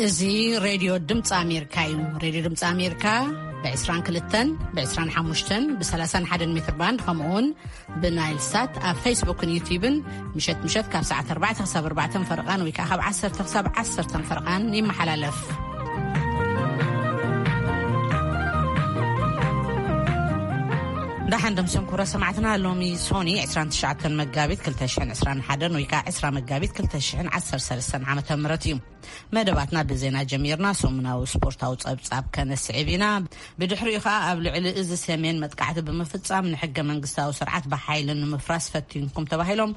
እዚ ሬድዮ ድምፂ ኣሜሪካ እዩ። ሬድዮ ድምፂ ኣሜሪካ ብ22፣ ብ25፣ ብ31 ሜትር ባንድ፣ ከምኡውን ብናይል ሳት ኣብ ፌስቡክን ዩቲዩብን ምሸት ምሸት ካብ ሰዓት ኣርባዕተ ክሳብ ኣርባዕተ ፈረቓን ወይ ከዓ ካብ ዓሰርተ ክሳብ ዓሰርተ ፈረቓን ይመሓላለፍ። ደሓን ደምሰን ክቡራት ሰማዕትና፣ ሎሚ ሶኒ ዕስራን ትሽዓተን መጋቢት ክልተ ሽሕን ዕስራን ሓደን ወይ ከዓ ዕስራ መጋቢት ክልተ ሽሕን ዓሰርተ ሰለስተን ዓመተ ምህረት እዩ። መደባትና ብዜና ጀሚርና፣ ሰሙናዊ ስፖርታዊ ጸብጻብ ከነስዕብ ኢና። ብድሕሪኡ ኸኣ ኣብ ልዕሊ እዚ ሰሜን መጥቃዕቲ ብምፍጻም ንሕገ መንግስታዊ ስርዓት ብሓይሊ ንምፍራስ ፈቲንኩም ተባሂሎም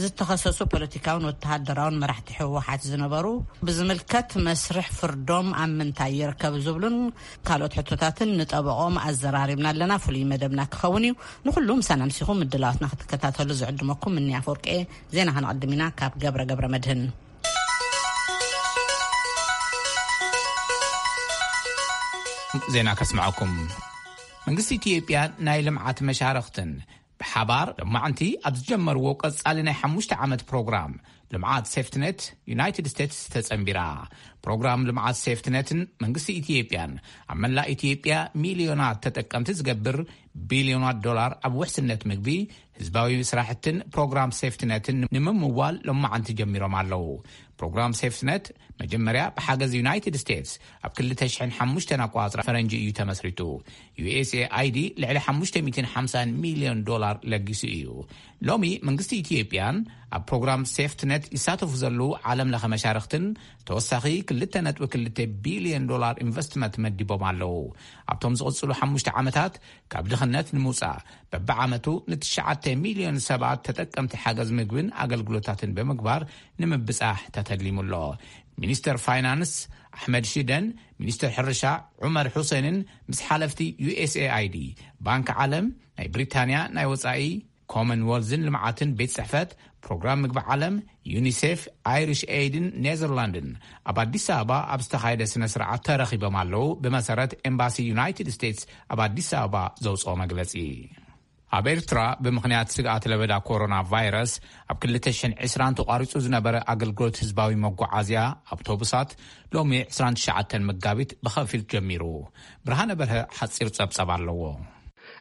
ዝተኸሰሱ ፖለቲካውን ወተሃደራውን መራሕቲ ህወሓት ዝነበሩ ብዝምልከት መስርሕ ፍርዶም ኣብ ምንታይ ይርከብ ዝብሉን ካልኦት ሕቶታትን ንጠበቆም ኣዘራሪብና ኣለና። ፍሉይ መደብና ክኸውን እዩ። ንኹሉ ምሳና ምሲኹም ምድላዋትና ክትከታተሉ ዝዕድመኩም እኒ ኣፈወርቂ። ዜና ከነቐድም ኢና ካብ ገብረ ገብረ መድህን። ዜና ከስምዐኩም። መንግስቲ ኢትዮጵያ ናይ ልምዓት መሻርኽትን ብሓባር ሎማዕንቲ ኣብ ዝጀመርዎ ቀጻሊ ናይ ሓሙሽተ ዓመት ፕሮግራም ልምዓት ሴፍትኔት ዩናይትድ ስቴትስ ተጸንቢራ። ፕሮግራም ልምዓት ሴፍትኔትን መንግስቲ ኢትዮጵያን ኣብ መላእ ኢትዮጵያ ሚልዮናት ተጠቀምቲ ዝገብር ቢልዮናት ዶላር ኣብ ውሕስነት ምግቢ፣ ህዝባዊ ስራሕትን ፕሮግራም ሴፍትነትን ንምምዋል ሎማዓንቲ ጀሚሮም ኣለዉ። ፕሮግራም ሴፍትነት መጀመርያ ብሓገዝ ዩናይትድ ስቴትስ ኣብ ክልተ ሽሕን ሓሙሽተን ኣቋጽራ ፈረንጂ እዩ ተመስሪቱ። ዩ ኤስ ኤ ኣይ ዲ ልዕሊ ሓሙሽተ ሚእትን ሓምሳን ሚልዮን ዶላር ለጊሱ እዩ። ሎሚ መንግስቲ ኢትዮጵያን ኣብ ፕሮግራም ሴፍትነት ይሳተፉ ዘለዉ ዓለም ለኸ መሻርኽትን ተወሳኺ ክልተ ነጥቢ ክልተ ቢልዮን ዶላር ኢንቨስትመንት መዲቦም ኣለዉ። ኣብቶም ዝቕጽሉ ሓሙሽተ ዓመታት ካብ ድኽነት ንምውጻእ በብዓመቱ ንትሽዓተ ሚልዮን ሰባት ተጠቀምቲ ሓገዝ ምግብን ኣገልግሎታትን ብምግባር ንምብጻሕ ተተሊሙ ኣሎ። ሚኒስተር ፋይናንስ ኣሕመድ ሽደን ሚኒስተር ሕርሻ ዑመር ሑሴንን ምስ ሓለፍቲ ዩ ኤስ ኤ ኣይ ዲ፣ ባንክ ዓለም፣ ናይ ብሪታንያ ናይ ወጻኢ ኮመንወልዝን ልምዓትን ቤት ጽሕፈት ፕሮግራም ምግቢ ዓለም፣ ዩኒሴፍ፣ ኣይሪሽ ኤይድን ኔዘርላንድን ኣብ ኣዲስ ኣበባ ኣብ ዝተኻየደ ስነ ስርዓት ተረኺቦም ኣለዉ። ብመሰረት ኤምባሲ ዩናይትድ ስቴትስ ኣብ ኣዲስ ኣበባ ዘውፅኦ መግለፂ። ኣብ ኤርትራ ብምኽንያት ስግኣት ለበዳ ኮሮና ቫይረስ ኣብ ክልተ ሽሕን ዕስራን ተቋሪጹ ዝነበረ ኣገልግሎት ህዝባዊ መጓዓዝያ ኣውቶቡሳት ሎሚ ዕስራን ትሽዓተን መጋቢት ብኸፊል ጀሚሩ። ብርሃነ በርሀ ሓጺር ጸብጸብ ኣለዎ።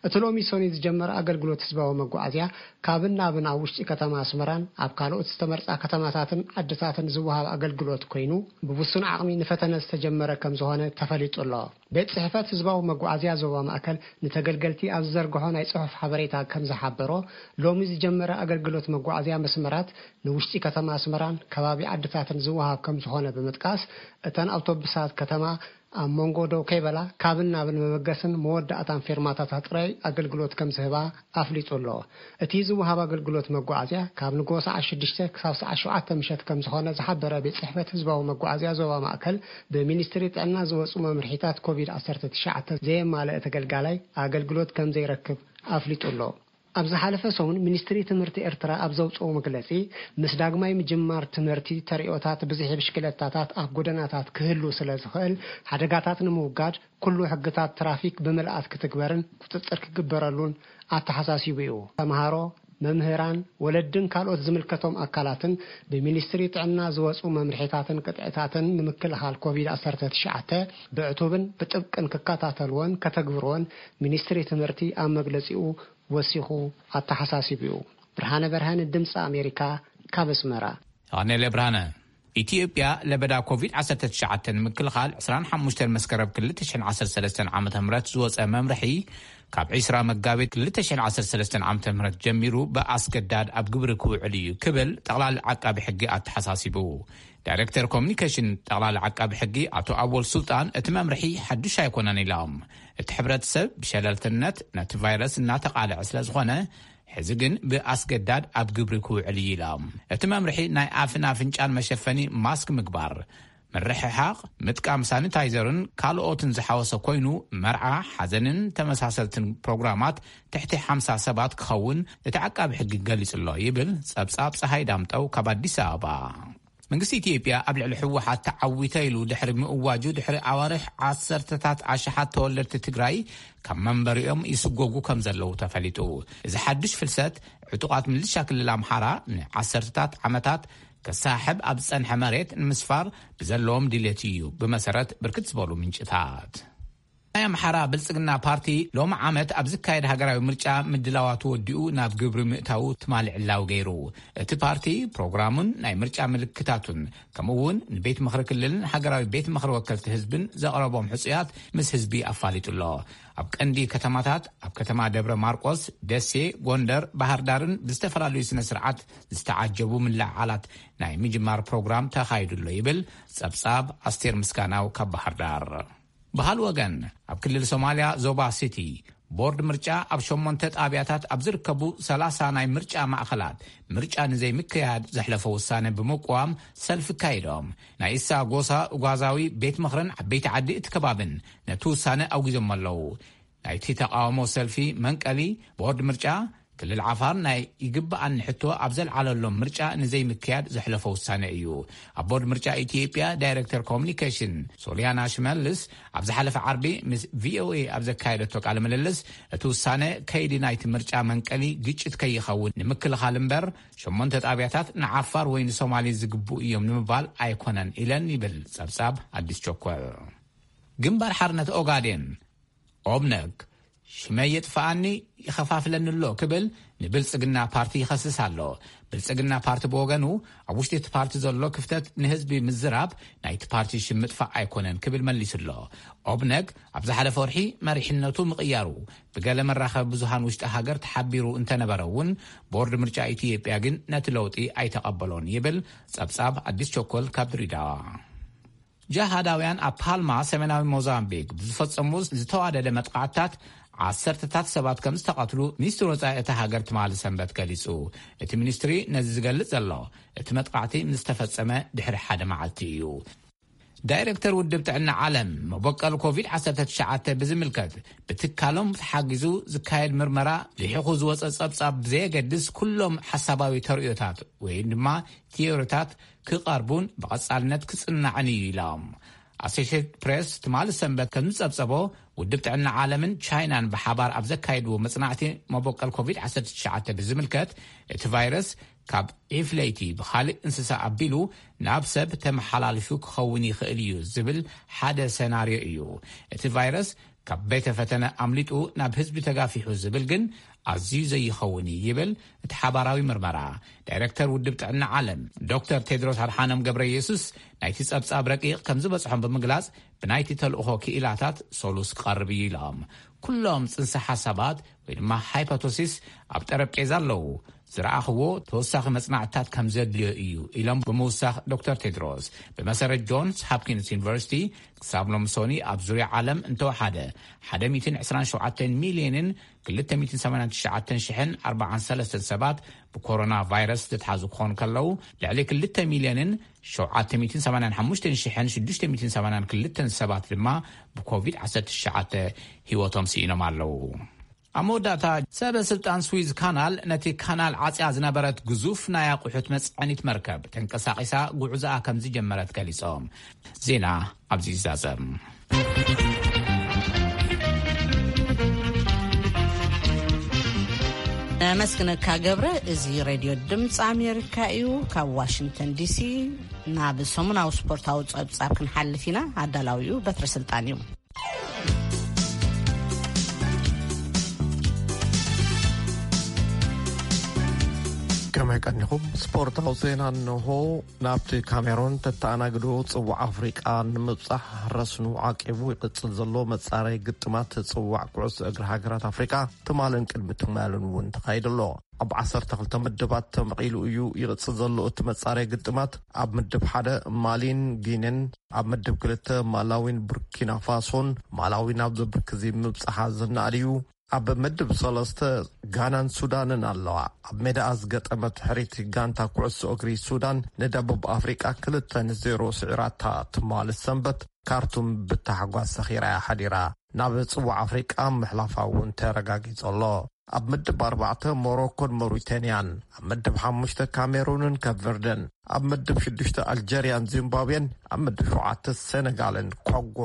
እቲ ሎሚ ሶኒ ዝጀመረ ኣገልግሎት ህዝባዊ መጓዓዝያ ካብን ናብን ኣብ ውሽጢ ከተማ ኣስመራን ኣብ ካልኦት ዝተመርጻ ከተማታትን ዓድታትን ዝወሃብ ኣገልግሎት ኮይኑ፣ ብውሱን ዓቕሚ ንፈተነ ዝተጀመረ ከም ዝኾነ ተፈሊጡ ኣሎ። ቤት ጽሕፈት ህዝባዊ መጓዓዝያ ዞባ ማእከል ንተገልገልቲ ኣብ ዝዘርግሖ ናይ ጽሑፍ ሓበሬታ ከም ዝሓበሮ፣ ሎሚ ዝጀመረ ኣገልግሎት መጓዓዝያ መስመራት ንውሽጢ ከተማ ኣስመራን ከባቢ ዓድታትን ዝወሃብ ከም ዝኾነ ብምጥቃስ፣ እተን ኣውቶቡሳት ከተማ ኣብ መንጎ ደው ከይበላ ካብን ናብን መበገስን መወዳእታን ፌርማታታት ጥራይ ኣገልግሎት ከም ዝህባ ኣፍሊጡ ኣሎ። እቲ ዝወሃብ ኣገልግሎት መጓዓዝያ ካብ ንግሆ ሰዓት ሽዱሽተ ክሳብ ሰዓት ሸውዓተ ምሸት ከም ዝኾነ ዝሓበረ ቤት ጽሕፈት ህዝባዊ መጓዓዝያ ዞባ ማእከል፣ ብሚኒስትሪ ጥዕና ዝወጹ መምርሒታት ኮቪድ ዓሰርተ ትሽዓተ ዘየማልአ ተገልጋላይ ኣገልግሎት ከም ዘይረክብ ኣፍሊጡ ኣሎ። ኣብ ዝሓለፈ ሰሙን ሚኒስትሪ ትምህርቲ ኤርትራ ኣብ ዘውጽኦ መግለጺ፣ ምስ ዳግማይ ምጅማር ትምህርቲ ተርእዮታት ብዝሒ ብሽክለታታት ኣብ ጎደናታት ክህሉ ስለ ዝኽእል፣ ሓደጋታት ንምውጋድ ኩሉ ሕግታት ትራፊክ ብምልኣት ክትግበርን ቁጽጽር ክግበረሉን ኣተሓሳሲቡ እዩ። ተምሃሮ፣ መምህራን፣ ወለድን ካልኦት ዝምልከቶም ኣካላትን ብሚኒስትሪ ጥዕና ዝወጹ መምርሒታትን ቅጥዕታትን ንምክልኻል ኮቪድ ዓሰርተ ትሽዓተ ብዕቱብን ብጥብቅን ክከታተልዎን ከተግብርዎን ሚኒስትሪ ትምህርቲ ኣብ መግለጺኡ ወሲኹ ኣተሓሳሲቡ እዩ። ብርሃነ በርሀ፣ ድምፂ ኣሜሪካ፣ ካብ ኣስመራ። ኣኔለ ብርሃነ። ኢትዮጵያ ለበዳ ኮቪድ ዓሰርተ ትሽዓተ ንምክልኻል ዕስራን ሓሙሽተን መስከረም ክልተ ሽሕን ዓሰርተ ሰለስተን ዓመተ ምህረት ዝወፀ መምርሒ ካብ ዕስራ መጋቢት ክልተ ሽሕን ዓሰርተ ሰለስተን ዓመተ ምህረት ጀሚሩ ብኣስገዳድ ኣብ ግብሪ ክውዕል እዩ ክብል ጠቕላሊ ዓቃቢ ሕጊ ኣተሓሳሲቡ። ዳይሬክተር ኮሚኒኬሽን ጠቕላሊ ዓቃቢ ሕጊ ኣቶ ኣወል ሱልጣን እቲ መምርሒ ሓዱሽ ኣይኮነን ኢሎም። እቲ ሕብረተሰብ ብሸለልትነት ነቲ ቫይረስ እናተቓልዐ ስለ ዝኾነ ሕዚ ግን ብኣስገዳድ ኣብ ግብሪ ክውዕል እዩ ኢሎም። እቲ መምርሒ ናይ ኣፍን ኣፍንጫን መሸፈኒ ማስክ ምግባር፣ ምርሕሓቕ፣ ምጥቃም ሳኒታይዘርን ካልኦትን ዝሓወሰ ኮይኑ፣ መርዓ፣ ሓዘንን ተመሳሰልትን ፕሮግራማት ትሕቲ ሓምሳ ሰባት ክኸውን እቲ ዓቃቢ ሕጊ ገሊጹ ኣሎ ይብል ጸብጻብ ጸሃይ ዳምጠው ካብ ኣዲስ ኣበባ። መንግስቲ ኢትዮጵያ ኣብ ልዕሊ ህወሓት ተዓዊተ ኢሉ ድሕሪ ምእዋጁ ድሕሪ ኣዋርሕ ዓሰርተታት ኣሽሓት ተወለድቲ ትግራይ ካብ መንበሪኦም ይስጎጉ ከም ዘለዉ ተፈሊጡ። እዚ ሓዱሽ ፍልሰት ዕጡቓት ምልሻ ክልል ኣምሓራ ንዓሰርተታት ዓመታት ከሳሕብ ኣብ ዝጸንሐ መሬት ንምስፋር ብዘለዎም ድሌት እዩ፣ ብመሰረት ብርክት ዝበሉ ምንጭታት። ናይ ኣምሓራ ብልጽግና ፓርቲ ሎም ዓመት ኣብ ዝካየድ ሃገራዊ ምርጫ ምድላዋቱ ወዲኡ ናብ ግብሪ ምእታዉ ትማሊ ዕላዊ ገይሩ። እቲ ፓርቲ ፕሮግራሙን ናይ ምርጫ ምልክታቱን፣ ከምኡ እውን ንቤት ምኽሪ ክልልን ሃገራዊ ቤት ምኽሪ ወከልቲ ህዝብን ዘቕረቦም ሕጹያት ምስ ህዝቢ ኣፋሊጡ ኣሎ። ኣብ ቀንዲ ከተማታት፣ ኣብ ከተማ ደብረ ማርቆስ፣ ደሴ፣ ጎንደር፣ ባህር ዳርን ብዝተፈላለዩ ስነ ስርዓት ዝተዓጀቡ ምልዕዓላት ናይ ምጅማር ፕሮግራም ተኻይዱ ኣሎ ይብል ጸብጻብ ኣስቴር ምስጋናው ካብ ባህር ዳር። ብኻልእ ወገን፣ ኣብ ክልል ሶማልያ ዞባ ሲቲ፣ ቦርድ ምርጫ ኣብ ሸሞንተ ጣብያታት ኣብ ዝርከቡ ሰላሳ ናይ ምርጫ ማእኸላት ምርጫ ንዘይምክያድ ዘሕለፎ ውሳነ ብምቅዋም ሰልፊ ካይዶም። ናይ እሳ ጎሳ ኡጓዛዊ ቤት ምኽርን ዓበይቲ ዓዲ እቲ ከባብን ነቲ ውሳነ ኣውጊዞም ኣለዉ። ናይቲ ተቃውሞ ሰልፊ መንቀሊ፣ ቦርድ ምርጫ ክልል ዓፋር ናይ ይግብኣኒ ሕቶ ኣብ ዘልዓለሎም ምርጫ ንዘይምክያድ ዘሕለፎ ውሳነ እዩ። ኣብ ቦርድ ምርጫ ኢትዮጵያ ዳይሬክተር ኮሚኒኬሽን ሶሊያና ሽመልስ ኣብ ዝሓለፈ ዓርቢ ምስ ቪኦኤ ኣብ ዘካየደቶ ቃለ ምልልስ፣ እቲ ውሳነ ከይዲ ናይቲ ምርጫ መንቀሊ ግጭት ከይኸውን ንምክልኻል እምበር፣ ሸሞንተ ጣብያታት ንዓፋር ወይ ንሶማሊ ዝግብኡ እዮም ንምባል ኣይኮነን ኢለን ይብል ጸብጻብ ኣዲስ ቸኮል። ግንባር ሓርነት ኦጋዴን፣ ኦብነግ፣ ሽመይ የጥፍኣኒ፣ ይኸፋፍለኒ ኣሎ ክብል ንብልጽግና ፓርቲ ይኸስስ ኣሎ። ብልጽግና ፓርቲ ብወገኑ፣ ኣብ ውሽጢ እቲ ፓርቲ ዘሎ ክፍተት ንህዝቢ ምዝራብ ናይቲ ፓርቲ ሽም ምጥፋእ ኣይኮነን ክብል መሊሱ ኣሎ። ኦብነግ ኣብ ዝሓለፈ ወርሒ መሪሕነቱ ምቕያሩ ብገለ መራኸቢ ብዙሃን ውሽጢ ሃገር ተሓቢሩ እንተነበረ እውን፣ ቦርድ ምርጫ ኢትዮጵያ ግን ነቲ ለውጢ ኣይተቐበሎን ይብል ጸብጻብ ኣዲስ ቸኮል ካብ ድሬዳዋ። ጃሃዳውያን ኣብ ፓልማ ሰሜናዊ ሞዛምቢክ ብዝፈጸሙ ዝተዋደደ መጥቃዕትታት ዓሰርተታት ሰባት ከም ዝተቐትሉ ሚኒስትሪ ወጻኢ እታ ሃገር ትማሊ ሰንበት ገሊጹ። እቲ ሚኒስትሪ ነዚ ዝገልጽ ዘሎ፣ እቲ መጥቃዕቲ ምስ ተፈጸመ ድሕሪ ሓደ መዓልቲ እዩ። ዳይሬክተር ውድብ ጥዕና ዓለም፣ መበቀል ኮቪድ ዓሰርተ ትሽዓተ ብዝምልከት ብትካሎም ተሓጊዙ ዝካየድ ምርመራ ልሒኹ ዝወጸ ጸብጻብ ብዘየገድስ፣ ኩሎም ሓሳባዊ ተርእዮታት ወይ ድማ ቲዮሪታት ክቐርቡን ብቐጻልነት ክጽናዕን እዩ ኢሎም። ኣሶሼትድ ፕሬስ ትማሊ ሰንበት ከም ዝጸብጸቦ፣ ውድብ ጥዕና ዓለምን ቻይናን ብሓባር ኣብ ዘካየድዎ መጽናዕቲ፣ መበቀል ኮቪድ ዓሰርተ ትሽዓተ ብዝምልከት፣ እቲ ቫይረስ ካብ ዒፍ ለይቲ ብኻልእ እንስሳ ኣቢሉ ናብ ሰብ ተመሓላልፉ ክኸውን ይኽእል እዩ ዝብል ሓደ ሰናርዮ እዩ። እቲ ቫይረስ ካብ ቤተ ፈተነ ኣምሊጡ ናብ ህዝቢ ተጋፊሑ ዝብል ግን ኣዝዩ ዘይኸውን እዩ ይብል እቲ ሓባራዊ ምርመራ። ዳይሬክተር ውድብ ጥዕና ዓለም ዶክተር ቴድሮስ ኣድሓኖም ገብረ ኢየሱስ፣ ናይቲ ጸብጻብ ረቂቕ ከም ዝበጽሖም ብምግላጽ፣ ብናይቲ ተልእኾ ክኢላታት ሰሉስ ክቐርብ እዩ ኢሎም። ኩሎም ጽንሰ ሓሳባት ወይ ድማ ሃይፖቶሲስ ኣብ ጠረጴዛ ኣለዉ። ዝረኣኽዎ ተወሳኺ መጽናዕትታት ከም ዘድልዮ እዩ ኢሎም ብምውሳኽ፣ ዶክተር ቴድሮስ፣ ብመሰረት ጆንስ ሃፕኪንስ ዩኒቨርሲቲ፣ ክሳብ ሎምሶኒ ኣብ ዙርያ ዓለም እንተወሓደ ሓደ ሚእትን ዕስራን ሸውዓተን ሚልዮንን ክልተ ሚእትን ሰማንያን ትሽዓተን ሽሕን ኣርባዓን ሰለስተን ሰባት ብኮሮና ቫይረስ ዝተትሓዙ ክኾኑ ከለዉ፣ ልዕሊ ክልተ ሚልዮንን ሸውዓተ ሚእትን ሰማንያን ሓሙሽተን ሽሕን ሽዱሽተ ሚእትን ሰማንያን ክልተን ሰባት ድማ ብኮቪድ ዓሰርተ ትሽዓተ ህይወቶም ስኢኖም ኣለዉ። ኣብ መወዳእታ፣ ሰበ ስልጣን ስዊዝ ካናል ነቲ ካናል ዓጽያ ዝነበረት ግዙፍ ናይ ኣቑሑት መጽዐኒት መርከብ ተንቀሳቒሳ ጉዕዞኣ ከም ዝጀመረት ገሊጾም። ዜና ኣብዚ ይዛዘም። ነመስግነካ ገብረ። እዚ ሬድዮ ድምፂ ኣሜሪካ እዩ። ካብ ዋሽንግተን ዲሲ ናብ ሰሙናዊ ስፖርታዊ ጸብጻብ ክንሓልፍ ኢና። ኣዳላዊኡ በትረ ስልጣን እዩ። ከመይ ቀኒኹም? ስፖርታዊ ዜና እንሆ። ናብቲ ካሜሮን ተተኣናግዶ ጽዋዕ ኣፍሪቃ ንምብጻሕ ረስኑ ዓቂቡ ይቕጽል ዘሎ መጻረይ ግጥማት ጽዋዕ ኩዕሶ እግሪ ሃገራት ኣፍሪቃ ትማልን ቅድሚ ትማልን እውን ተኻይዱ ኣሎ። ኣብ ዓሰርተ ክልተ ምድባት ተመቒሉ እዩ ይቕጽል ዘሎ እቲ መጻረይ ግጥማት። ኣብ ምድብ ሓደ ማሊን ጊንን፣ ኣብ ምድብ ክልተ ማላዊን ቡርኪና ፋሶን። ማላዊ ናብዚ ብርኪ እዚ ምብጻሓ ዝነኣድ እዩ። ኣብ ምድብ ሰለስተ ጋናን ሱዳንን ኣለዋ። ኣብ ሜዳኣ ዝገጠመት ሕሪት ጋንታ ኩዕሶ እግሪ ሱዳን ንደቡብ ኣፍሪቃ ክልተ ንዜሮ ስዒራታ ትማሊ ሰንበት ካርቱም ብታሕጓስ ሰኺራ እያ ሓዲራ። ናብ ጽዋዕ ኣፍሪቃ ምሕላፋ እውን ተረጋጊጹ ኣሎ። ኣብ ምድብ ኣርባዕተ ሞሮኮን ሞሪተንያን፣ ኣብ ምድብ ሓሙሽተ ካሜሩንን ከፕ ቨርደን፣ ኣብ ምድብ ሽዱሽተ ኣልጀርያን ዚምባብዌን፣ ኣብ ምድብ ሸውዓተ ሴነጋልን ኮንጎ፣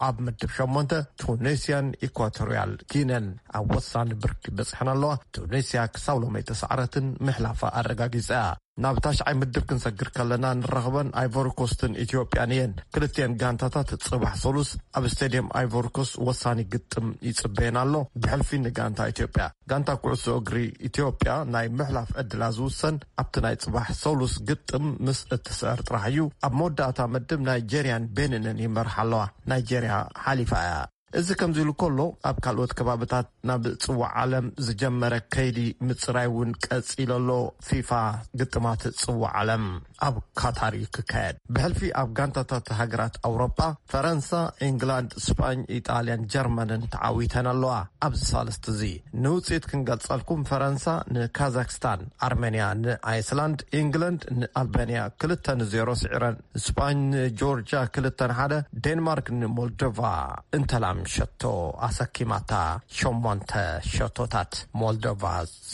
ኣብ ምድብ ሸሞንተ ቱኒስያን ኢኳቶሪያል ጊነን ኣብ ወሳኒ ብርኪ በጽሐን ኣለዋ። ቱኒስያ ክሳብ ሎሚ ኣይተሳዕረትን፣ ምሕላፋ ኣረጋጊጻ እያ። ናብ ታሽዓይ ምድብ ክንሰግር ከለና፣ ንራኸበን ኣይቮሪ ኮስትን ኢትዮጵያን እየን። ክልቲኤን ጋንታታት ጽባሕ ሰሉስ ኣብ ስቴድየም ኣይቮሪ ኮስት ወሳኒ ግጥም ይጽበየን ኣሎ። ብሕልፊ ንጋንታ ኢትዮጵያ፣ ጋንታ ኩዕሶ እግሪ ኢትዮጵያ ናይ ምሕላፍ ዕድላ ዝውሰን ኣብቲ ናይ ጽባሕ ሰሉስ ግጥም ምስ እትስዕር ጥራሕ እዩ። ኣብ መወዳእታ ምድብ ናይጀርያን ቤኒንን ይመርሓ ኣለዋ። ናይጀርያ ሓሊፋ እያ። እዚ ከምዚ ኢሉ ከሎ፣ ኣብ ካልኦት ከባብታት ናብ ጽዋዕ ዓለም ዝጀመረ ከይዲ ምጽራይ እውን ቀጺሉ ኣሎ። ፊፋ ግጥማት ጽዋዕ ዓለም ኣብ ካታር እዩ ክካየድ። ብሕልፊ ኣብ ጋንታታት ሃገራት ኣውሮጳ፣ ፈረንሳ፣ ኢንግላንድ፣ ስጳኝ፣ ኢጣልያን ጀርመንን ተዓዊተን ኣለዋ። ኣብዚ ሳልስቲ እዚ ንውጽኢት ክንገልጸልኩም፣ ፈረንሳ ንካዛክስታን፣ ኣርሜንያ ንኣይስላንድ፣ ኢንግላንድ ንኣልባንያ ክልተ ንዜሮ ስዒረን፣ ስጳኝ ንጆርጅያ ክልተ ንሓደ፣ ዴንማርክ ንሞልዶቫ እንተላም ሸቶ ኣሰኪማታ፣ ሸሞንተ ሸቶታት ሞልዶቫ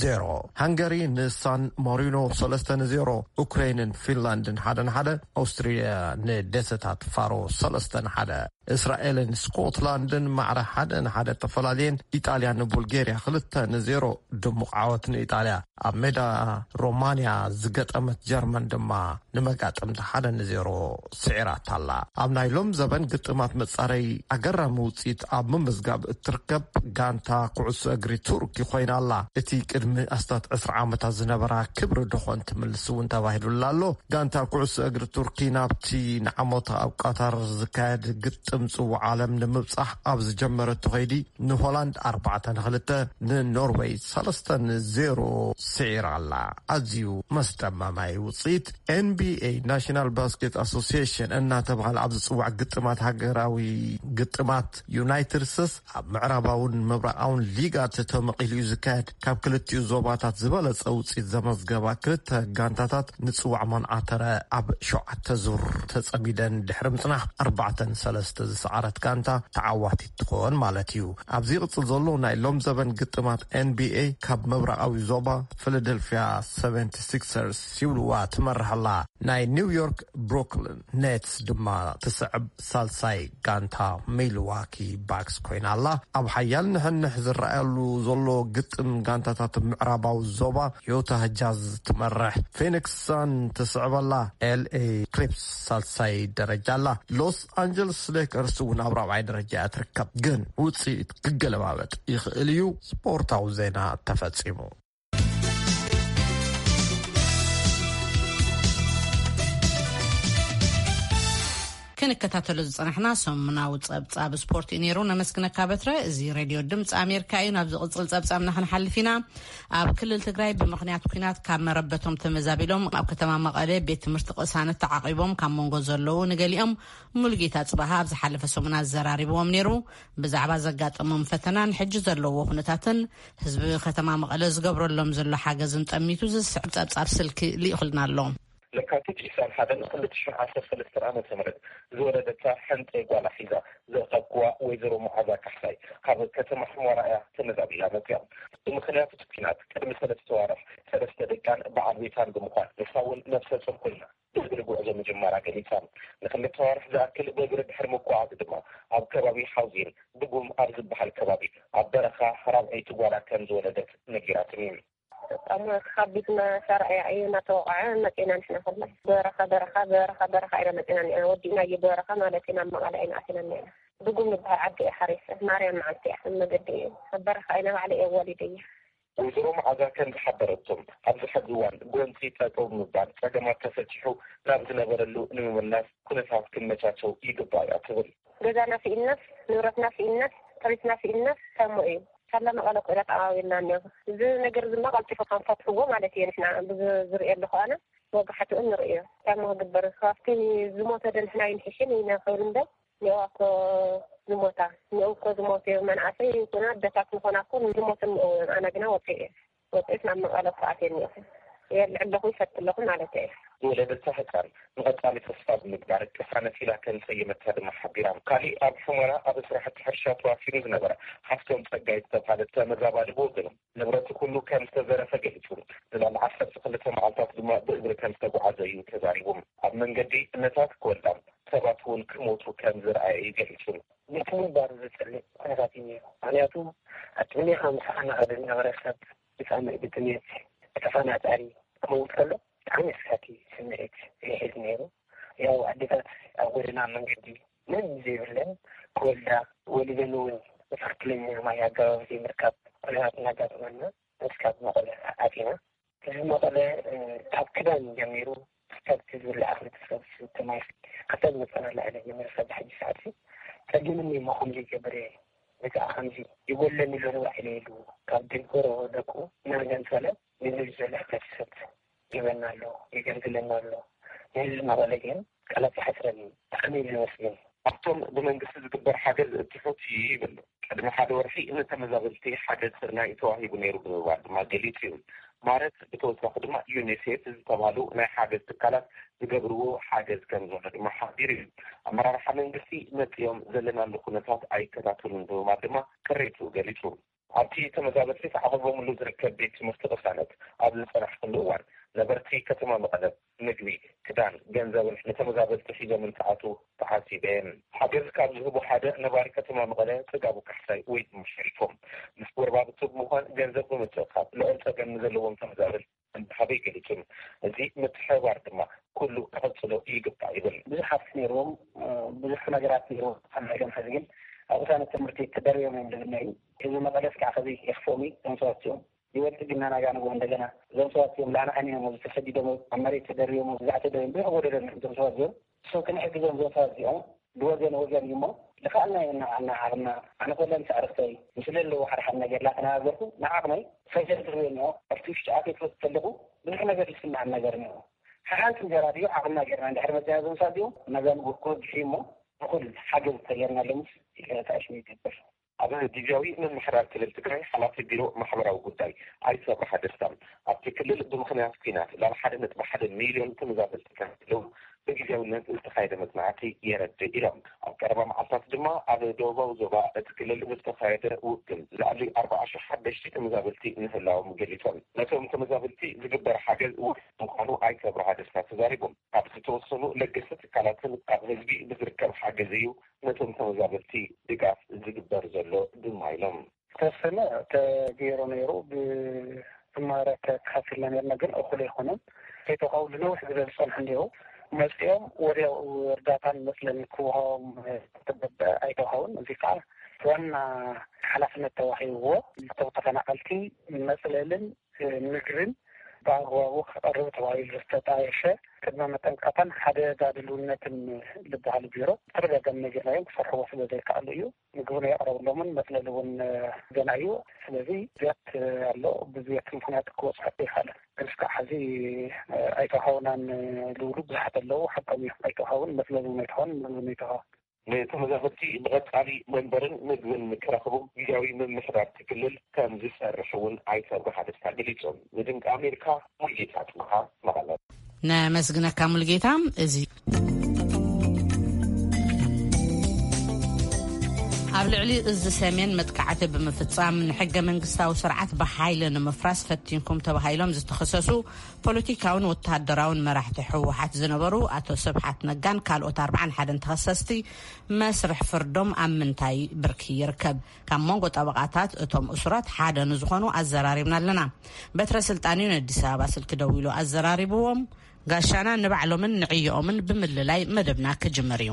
ዜሮ። ሃንገሪ ንሳን ማሪኖ ሰለስተ ንዜሮ፣ ኡክሬንን ፊንላንድን ሓደ ንሓደ፣ ኣውስትሪያ ንደሴታት ፋሮ ሰለስተ ንሓደ፣ እስራኤልን ስኮትላንድን ማዕረ ሓደ ንሓደ ተፈላለየን፣ ኢጣልያ ንቡልጌርያ ክልተ ንዜሮ ድሙቕ ዓወት ንኢጣልያ። ኣብ ሜዳ ሮማንያ ዝገጠመት ጀርመን ድማ ንመጋጥምቲ ሓደ ንዜሮ ስዒራታ ኣላ። ኣብ ናይ ሎም ዘበን ግጥማት መጻረይ ኣገራሚ ውጽኢት ኣብ ምምዝጋብ እትርከብ ጋንታ ኩዕሶ እግሪ ቱርኪ ኮይና ኣላ። እቲ ቅድሚ ኣስታት ዕስራ ዓመታት ዝነበራ ክብሪ ደኾን ትምልስ እውን ተባሂሉላ ኣሎ። ጋንታ ኩዕሶ እግሪ ቱርኪ ናብቲ ንዓመቱ ኣብ ቃታር ዝካየድ ግጥም ጽዋዕ ዓለም ንምብጻሕ ኣብ ዝጀመረቶ ከይዲ፣ ንሆላንድ ኣርባዕተ ንክልተ፣ ንኖርወይ ሰለስተ ንዜሮ ስዒራ ኣላ። ኣዝዩ መስደመማይ ውጽኢት። ኤንቢኤ፣ ናሽናል ባስኬት ኣሶሲዬሽን እናተባህለ ኣብ ዝጽዋዕ ግጥማት ሃገራዊ ግጥማት ዩናይትድ ስቴትስ፣ ኣብ ምዕራባውን ምብራቓውን ሊጋት ተመቒሉ እዩ ዝካየድ። ካብ ክልቲኡ ዞባታት ዝበለጸ ውጽኢት ዘመዝገባ ክልተ ጋንታታት ንጽዋዕ መንዓተረ ኣብ ሸውዓተ ዙር ተጸሚደን ድሕሪ ምጽናሕ፣ ኣርባዕተ ንሰለስተ ዝሰዓረት ጋንታ ተዓዋቲት ትኾን ማለት እዩ። ኣብዚ ይቕጽል ዘሎ ናይ ሎም ዘበን ግጥማት ኤንቢኤ፣ ካብ ምብራቓዊ ዞባ ፊላደልፊያ ሰቨንቲ ሲክሰርስ ይብልዋ ትመርሕ ኣላ። ናይ ኒውዮርክ ብሩክሊን ኔትስ ድማ ትስዕብ ሳልሳይ ጋንታ ሚልዋኪ ባክስ ኮይና ኣላ። ኣብ ሓያል ንሕንሕ ዝረኣየሉ ዘሎ ግጥም ጋንታታት ምዕራባዊ ዞባ፣ ዩታ ጃዝ ትመርሕ፣ ፊኒክስ ሳን ትስዕብ ኣላ፣ ኤልኤ ክሊፕስ ሳልሳይ ደረጃ ኣላ። ሎስ ኣንጀለስ ሌከርስ እውን ኣብ ራብዓይ ደረጃ እያ ትርከብ። ግን ውጽኢት ክገለባበጥ ይኽእል እዩ። ስፖርታዊ ዜና ተፈጺሙ። ክንከታተሎ ዝጸናሕና ሰሙናዊ ጸብጻብ ስፖርት እዩ ነይሩ። ነመስግነካ በትረ። እዚ ሬድዮ ድምፂ ኣሜሪካ እዩ። ናብ ዝቕጽል ጸብጻብና ክንሓልፍ ኢና። ኣብ ክልል ትግራይ ብምኽንያት ኲናት ካብ መረበቶም ተመዛቢሎም ኣብ ከተማ መቐለ ቤት ትምህርቲ ቅሳነት ተዓቒቦም ካብ መንጎ ዘለዉ ንገሊኦም ሙሉጌታ ጽባሃ ኣብ ዝሓለፈ ሰሙን ኣዘራሪብዎም ነይሩ። ብዛዕባ ዘጋጠሞም ፈተናን ሕጂ ዘለዎ ኩነታትን ህዝቢ ከተማ መቐለ ዝገብረሎም ዘሎ ሓገዝን ጠሚቱ ዝስዕብ ጸብጻብ ስልኪ ልኢኹልና ኣሎ። ለካቲት ዒስራን ሓደን ክልተ ሽሕን ዓሰርተ ሰለስተን ዓመተ ምህረት ዝወለደታ ሕንጠይ ጓላ ሒዛ ዝረኸብክዋ ወይዘሮ መዓዛ ካሕሳይ ካብ ከተማ ሑመራ እያ ተመዛቢላ መፅያ። ብምኽንያት እቲ ኲናት ቅድሚ ሰለስተ ዋርሕ ሰለስተ ደቃን በዓል ቤታን ብምዃን ንሳ እውን ነፍሰ ፁር ኮይና ብእግሪ ጉዕዞ ምጅማራ ገሊፃ። ንክልተ ዋርሕ ዝኣክል ብእግሪ ድሕሪ ምጉዓዝ ድማ ኣብ ከባቢ ሓውዜን ብጉም ኣብ ዝበሃል ከባቢ ኣብ በረኻ ራብዐይቲ ጓላ ከም ዝወለደት ነጊራትኒ። በጣም ከባድ መሳርያ እዩ እናተወቃዐ መፂና ንሕና ኩላ በረኻ በረኻ በረኻ በረኻ ኢና መፂና እኒኣ ወዲእና እዩ በረኻ ማለት ኢና መቐለ ኢና ኣቲና እኒኣ ብጉም ዝበሃል ዓዲ እየ ሓሪሰ ማርያም መዓልቲ እያ መገዲ እዩ ኣብ በረኻ ኢና ባዕለ እየ ወሊደ እየ። ወይዘሮ መዓዛ ከም ዝሓበረቶም ኣብዚ ሕዚ እዋን ጎንፂ ጠጠው ብምባል ፀገማት ተፈቲሑ ናብ ዝነበረሉ ንምምላስ ኩነታት ክመቻቸው ይግባእ እያ ትብል። ገዛና ስኢንናስ ንብረትና ስኢንናስ ጥሪትና ስኢንናስ ታሞ እዩ። ሳላ መቐለ ኮይና ተዓባቢልና እኒኦ። እዚ ነገር እዚ ማ ቀልጢፎ ከም ፈትሕዎ ማለት እየ ንሕና ብዝርእየሉ ከኣነ ወጋሕትኡ ንርእዮ። ታሞ ክግበር ካብቲ ዝሞተ ዶ ንሕና ይንሕሽን ኢና ክብል እምበር ንዕዋ እኮ ዝሞታ ንዕው እኮ ዝሞቱ እዮም መናእሰይ ይኹና ኣደታት ምኾና እኮ ዝሞቱ ንዕው እዮም ኣነ ግና ወፂእ እየ ወፂእስ ናብ መቐለ እኮ ኣትየ እኒኦኹ የልዕ ኣለኹ ይፈት ኣለኹ ማለት እየ። ዝወለደታ ህጻን ንቐጻሊ ተስፋ ብምግባር ቅሳነት ኢላ ከም ዝሰየመታ ድማ ሓቢራ። ካሊእ ኣብ ሑመራ ኣብ ስራሕቲ ሕርሻ ተዋፊሩ ዝነበረ ሓፍቶም ጸጋይ ዝተባሃለ ተመዛባሊ ብወገኑ፣ ንብረቱ ኩሉ ከም ዝተዘረፈ ገሊጹ። ንልዕሊ ዓሰርተ ክልተ መዓልታት ድማ ብእግሪ ከም ዝተጓዓዘ እዩ ተዛሪቡ። ኣብ መንገዲ እነታት ክወልዳ ሰባት እውን ክሞቱ ከም ዝረኣየ እዩ ገሊጹ። ቤት ምግባር ዘጸልእ ኩነታት እዩ ነይሩ። ምኽንያቱ ኣብ ቅድሜኻ ምስ ኣና ዝነበረ ሰብ ብጻምእ ብጥሜት ብተፈናጣሪ ክመውት ከሎ ብጣዕሚ ኣስካቲ ስምዒት ይሕዝ ነይሩ። ያው ኣዴታት ኣብ ጎደና መንገዲ ምንም ዘይብለን ክወልዳ፣ ወሊደን እውን ብትኽክለኛ ማይ ኣገባብ ዘይምርካብ ኩነታት እናጋጠመና እስካብ መቐለ ኣቲና። ህዝቢ መቐለ ካብ ክዳን ጀሚሩ ክሳብ እቲ ዝብላዕ ክልተ ሰብ ዝስተ ማይ ክሳብ ዝመፀና ላዕሊ ጀሚሩ ክሳብ ሕጂ ሰዓት ፀጊምኒ እሞ ከምዚ ይገብር እየ። በቃ ከምዚ ይጎለኒ ዘሎ ባዕለ ኢሉ ካብ ደገሮ ደቁ እናገንፀለ ንህዝቢ ዘሎ ሕብረተሰብ ይበና ኣሎ፣ ይገልግለና ኣሎ። ንህዝቢ መቐለ ግን ቃላት ይሓፅረኒ። ብጣዕሚ እዩ ዘመስግን። ኣብቶም ብመንግስቲ ዝግበር ሓገዝ ትሑት እዩ ይብል። ቅድሚ ሓደ ወርሒ ንተመዛበልቲ ሓገዝ ስርናይ ተዋሂቡ ነይሩ ብምባል ድማ ገሊጹ እዩ። ማረት ብተወሳኺ ድማ ዩኒሴፍ ዝተባህሉ ናይ ሓገዝ ትካላት ዝገብርዎ ሓገዝ ከም ዘሎ ድማ ሓቢሩ እዩ። ኣመራርሓ መንግስቲ መጺኦም ዘለናሉ ኩነታት ኣይከታተሉን ብምባል ድማ ቅሬቱ ገሊጹ። ኣብቲ ተመዛበልቲ ተዓቑቦምሉ ዝርከብ ቤት ትምህርቲ ቅሳነት ኣብ ዝጸናሕኩሉ እዋን ነበርቲ ከተማ መቐለ ምግቢ፣ ክዳን፣ ገንዘብን ንተመዛበልቲ ሒዞም እንትኣትዉ ተዓዚበ። ሓገዝ ካብ ዝህቡ ሓደ ነባሪ ከተማ መቐለ ጽጋቡ ካሕሳይ ወይ ድማ ሸሪፎም ምስ ጎረባብቱ ብምዃን ገንዘብ ብምትእኻብ ልዑል ጸገም ንዘለዎም ተመዛበልቲ ከም ዝሃበ ይገልጹ። እዚ ምትሕብባር ድማ ኩሉ ክቕጽሎ ይግባእ ይብል። ብዙሓት ነይርዎም፣ ብዙሕ ነገራት ነይርዎም። ኣብ ናይ ሎምሐዚ ግን ኣብ ቅሳነት ትምህርቲ ተደርብዮም እዮም ዝብልና እዩ። ህዝቢ መቐለስ ከዓ ከዚ የኽፍኦም እዩ። እዞም ሰባት እዚኦም ይወልድ ግና ናጋ ንግሆ እንደገና እዞም ሰባት እዮም ላዕና ዓይኒ እዮም ተሰዲዶም ኣብ መሬት ተደርብዮም ብዛዕ ተደርብዮም ብዙሕ ጎደሎም እዮም እዞም ሰባት እዚኦም። እሶም ክንሕግዞም እዞም ሰባት እዚኦም ብወገን ወገን እዩ እሞ ልኻልና ኢና ዓና ዓቕምና። ኣነ ኮለን ሳዕርኽተይ ምስ ለለዎ ሓደ ሓደ ነገር ላተነጋገርኩ ንዓቕመይ ፈጀር ዝህበኒ ኣብቲ ውሽጢ ኣትየ ክወስድ ከለኹ ብዙሕ ነገር ዝስምዓኒ ነገር እኒኦ። ሓሓንቲ እንጀራ ድዩ ዓቕምና ጌርና እንድሕር መፅና እዞም ሰባት እዚኦም ናጋ ንግሆ ክወግሑ እዩ እሞ እኹል ሓገዝ ተገርናሎምስ ይቅረታ ሽሙ ይገብር። ኣብ ግዜያዊ ምምሕዳር ክልል ትግራይ ሓላፊ ቢሮ ማሕበራዊ ጉዳይ ኣይተ ኣብርሃ ደስታ፣ ኣብቲ ክልል ብምኽንያት ኲናት ላብ ሓደ ነጥቢ ሓደ ሚልዮን ተመዛበልቲ ከም ዘለዉ ብግዜያውነት ዝተኻየደ መጽናዕቲ የረድእ ኢሎም። ኣብ ቀረባ መዓልታት ድማ ኣብ ደቡባዊ ዞባ እቲ ክልል ብዝተኻየደ ውግን ልዕሊ ኣርባዓ ሽሕ ሓደሽቲ ተመዛበልቲ ምህላዎም ገሊጾም። ነቶም ተመዛበልቲ ዝግበር ሓገዝ ውሑድ ምዃኑ ኣይተ ኣብርሃ ደስታ ተዛሪቦም። ካብ ዝተወሰኑ ለገስቲ ትካላትን ካብ ህዝቢ ብዝርከብ ሓገዝ እዩ ነቶም ተመዛበልቲ ድጋፍ ዝግበር ዘሎ ድማ ኢሎም። ዝተወሰነ ተገይሩ ነይሩ። ብዝማረ ተካፊልና ነርና፣ ግን እኹል ኣይኮነን። ከይተውሃቡ ንነዊሕ ዝበሉ ዝጸንሑ እንዲሁ መጺኦም ወዲያው እርዳታን መጽለልን ክወሃቦም ተገብአ ኣይተውሃቡን። እዚ ከዓ ዋና ሓላፍነት ተዋሂብዎ። እቶም ተፈናቐልቲ መጽለልን ምግብን ብኣግባቡ ክቐርብ ተባሂሉ ዝተጣየሸ ቅድመ መጠንቀቕታን ሓደጋ ድልውነትን ዝበሃል ቢሮ ተደጋጋሚ ነጊርናዮም ክሰርሕዎ ስለ ዘይከኣሉ እዩ። ምግቢ ናይ ኣቕረብሎምን መፅለሊ እውን ገና እዩ። ስለዚ ዝያት ኣሎ። ብዝያት ምክንያት ክበፅሖ ኣይከኣለን። ግን እስካዕ ሕዚ ኣይተውሃውናን ዝብሉ ብዙሓት ኣለዉ። ሓቆም እዮም። ኣይተውሃውን መፅለሊ እውን ኣይተውሃውን ምግቢ እውን ኣይተውሃውን። ንተመዛበልቲ ብቐጻሊ መንበርን ምግብን ክረኽቡ ግዜያዊ ምምሕዳር እቲ ክልል ከም ዝሰርሕ እውን ኣይተ ኣብርሃ ደስታ ገሊጾም። ንድምፂ ኣሜሪካ ሙልጌታ ጽብሃ መቐለ። ነመስግነካ ሙልጌታ። እዚ ኣብ ልዕሊ እዚ ሰሜን መጥቃዕቲ ብምፍጻም ንሕገ መንግስታዊ ስርዓት ብሓይሊ ንምፍራስ ፈቲንኩም ተባሂሎም ዝተኸሰሱ ፖለቲካውን ወተሃደራውን መራሕቲ ህወሓት ዝነበሩ ኣቶ ስብሓት ነጋን ካልኦት ኣርባዓን ሓደን ተኸሰስቲ መስርሕ ፍርዶም ኣብ ምንታይ ብርኪ ይርከብ? ካብ መንጎ ጠበቓታት እቶም እሱራት ሓደ ንዝኾኑ ኣዘራሪብና ኣለና። በትረ ስልጣን እዩ ነዲስ ኣበባ ስልኪ ደዊሉ ኣዘራሪብዎም። ጋሻና ንባዕሎምን ንዕዮኦምን ብምልላይ መደብና ክጅምር እዩ።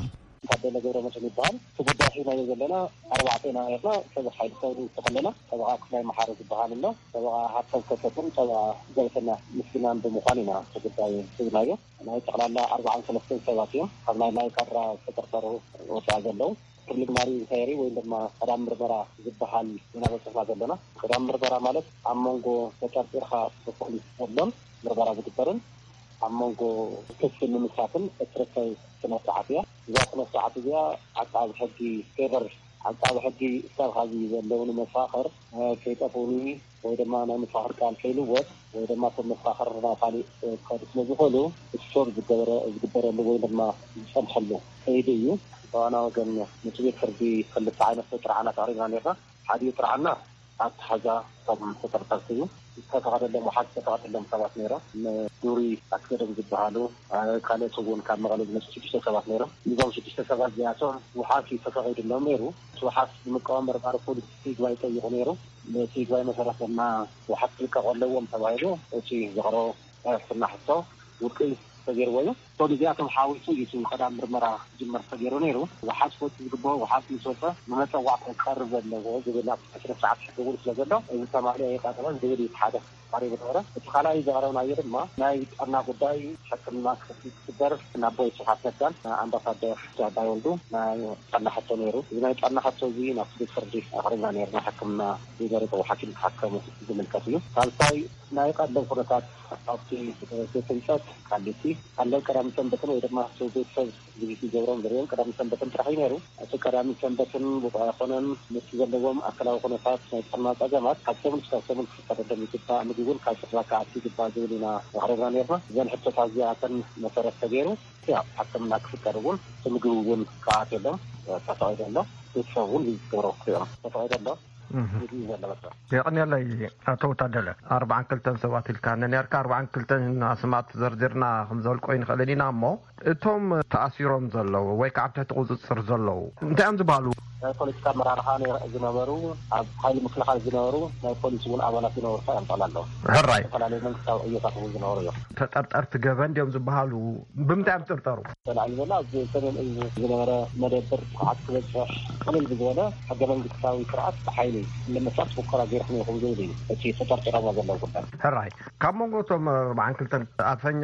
ታደለ ገብረመድህን ይበሃል። እቲ ጉዳይ ሒዝናዮ ዘለና ኣርባዕተ ኢና ነርና። ጠበቓ ሓይሊ ሰውሪ ዝተኸለና ጠበቓ ክፍላይ መሓሪ ዝበሃል ኣሎ። ጠበቓ ሃብቶም ከሰትን ጠበቓ ዘይፈና ምስግናን ብምዃን ኢና እቲ ጉዳይ ሒዝናዮ። ናይ ጠቕላላ ኣርባዓን ሰለስተን ሰባት እዮም ካብ ናይ ናይ ካራ ዝተጠርጠሩ ወፃኢ ዘለዉ። ፕሪሊሚናሪ ኢንኳየሪ ወይ ድማ ቀዳም ምርመራ ዝበሃል ኢና በፂሕና ዘለና። ቀዳም ምርመራ ማለት ኣብ መንጎ ተጠርጢርካ ብፖሊስ ዘሎን ምርመራ ዝግበርን ኣብ መንጎ ክሲ ንምስራትን እትርከብ ስነ ስርዓት እያ። እዛ ስነ ስርዓት እዚኣ ዓቃቢ ሕጊ ፌቨር ዓቃቢ ሕጊ እስካብ ኻዚ ዘለውኒ መፋኽር ከይጠፍኡኒ ወይ ድማ ናይ መፋኽር ቃል ከይልወጥ ወይ ድማ ከም መፋኽር ናብ ካሊእ ክኸዱ ስለ ዝኽእሉ፣ እቲ ሾር ዝገበረ ዝግበረሉ ወይ ድማ ዝፀንሐሉ ከይዲ እዩ። ብዋና ወገን፣ ምስ ቤት ፍርዲ ክልተ ዓይነት ጥርዓናት ኣቕሪብና ነርና። ሓዲኡ ጥርዓና ኣተሓዛ ከም ተጠርጠርቲ ዝተፈቐደሎም፣ ውሓት ዝተፈቐደሎም ሰባት ነይሮም። ንዱሪ ኣስገዶም ዝበሃሉ፣ ካልኦት እውን ካብ መቐለ ዝመፁ ሽዱሽተ ሰባት ነይሮም። እዞም ሽዱሽተ ሰባት እዚኣቶም ውሓት እዩ ተፈቒዱሎም ነይሩ። እቲ ውሓት ንምቅዋም መርማሪ ፖሊስ ይግባይ ጠይቑ ነይሩ። ነቲ ይግባይ መሰረት ድማ ውሓት ክልቀቑ ኣለዎም ተባሂሉ እቲ ዘቕረቦ ናይ ሕክምና ሕቶ ውድቂ ተገይርዎ እዩ። ሶ እዚኣቶም ሓዊሱ እዩ እቲ ቀዳም ምርመራ ክጅመር ተገይሩ ነይሩ። ውሓት ክወጽእ ዝግብኦ ውሓት ምስ ወጸ ብመጸዋዕታ ክቐርብ ዘለዎ ዝብል ኣብ ስነ ስርዓት ሕጊ እውን ስለ ዘሎ፣ እዚ ተማልኦ ኣይቐረበን ዝብል እዩ እቲ ሓደ ቀሪቡ ነበረ። እቲ ካልኣይ ዘቕረብናዮ ድማ ናይ ጥዕና ጉዳይ ሕክምና ክፍትሽ ክግበር ናብ ኣቦይ ስብሓት ነጋን ኣምባሳደር ኣባይ ወልዱ ናይ ጥዕና ሕቶ ነይሩ። እዚ ናይ ጥዕና ሕቶ እዚ ናብቲ ቤት ፍርዲ ኣቕሪብና ነይርና። ሕክምና ዝመረጽዎ ሓኪም ክሓከሙ ዝምልከት እዩ። ሳልሳይ ናይ ቀደም ኩነታት ኣብቲ ቤት ህንፀት ቃሊቲ፣ ቀለብ ቀዳምን ሰንበትን ወይ ድማ እቲ ቤተሰብ ቪዚት ይገብሮም ዝርእዮም ቀዳምን ሰንበትን ጥራሕ እዩ ነይሩ። እቲ ቀዳምን ሰንበትን ብቑዕ ኣይኮነን፣ ምስ ዘለዎም ኣካላዊ ኩነታት ናይ ጥዕና ጸገማት ካብ ሰሙን እስካብ ሰሙን ክፍቀደሎም ይግባእ፣ ምግቢ እውን ካብ ስድራ ክኣቱ ይግባእ ዝብል ኢና ኣቕሪብና ነይርና። እዘን ሕቶታት እዚኣተን መሰረት ተገይሩ ያው ሕክምና ክፍቀድ እውን እቲ ምግቢ እውን ክኣትየሎም ተፈቒዱ ኣሎ። ቤተሰብ እውን ዝገብሮ ክሪኦም ተፈቒዱ ኣሎ። እህ። ይድል ዘሎ በቃ። የቐንየለይ። ኣቶ ታደለ፣ ኣርባዓን ክልተን ሰባት ኢልካ ነኒርካ፣ ኣርባዓን ክልተን ኣስማት ዘርዚርና ክንዘልቆ ይንኽእልን ኢና እሞ፣ እቶም ተኣሲሮም ዘለዉ ወይ ከዓ ኣብ ትሕቲ ቁፅፅር ዘለዉ እንታይ እዮም ዝበሃሉ? ናይ ፖለቲካ ኣመራርሓ ነይ- ዝነበሩ፣ ኣብ ሓይሊ ምክልኻል ዝነበሩ፣ ናይ ፖሊስ እውን ኣባላት ዝነበሩ እዮም ጠቕላላ። ሕራይ። ዝተፈላለዩ መንግስታዊ ዕዮታት እውን ዝነበሩ እዮም። ተጠርጠርቲ ገበን ድዮም ዝበሃሉ? ብምንታይ እዮም ዝጥርጠሩ? ተላዒሉ ዘሎ ኣብ ሰሜን እዝ ዝነበረ መደብር ጥቕዓት ክበፅሕ ቅልል ብዝበለ ሕገ መንግስታዊ ስርዓት ብሓይሊ ንምፍራስ ሙከራ ገይርኩም ኢኹም ዝብል እዩ እቲ ተጠርጢሮሞ ዘለዉ ጉዳይ። ሕራይ፣ ካብ መንጎ እቶም ኣርባዓን ክልተን ኣፈኛ